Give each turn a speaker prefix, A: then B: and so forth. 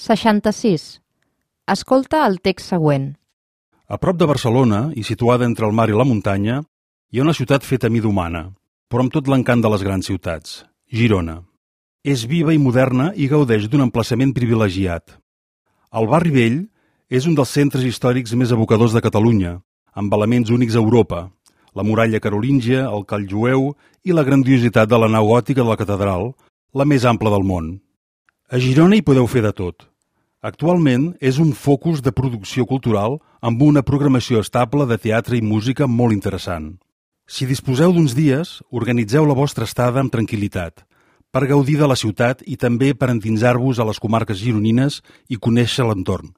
A: 66. Escolta el text següent.
B: A prop de Barcelona, i situada entre el mar i la muntanya, hi ha una ciutat feta a mida humana, però amb tot l'encant de les grans ciutats, Girona. És viva i moderna i gaudeix d'un emplaçament privilegiat. El barri vell és un dels centres històrics més evocadors de Catalunya, amb elements únics a Europa, la muralla carolíngia, el call jueu i la grandiositat de la nau gòtica de la catedral, la més ampla del món. A Girona hi podeu fer de tot. Actualment és un focus de producció cultural amb una programació estable de teatre i música molt interessant. Si disposeu d'uns dies, organitzeu la vostra estada amb tranquil·litat, per gaudir de la ciutat i també per endinsar-vos a les comarques gironines i conèixer l'entorn.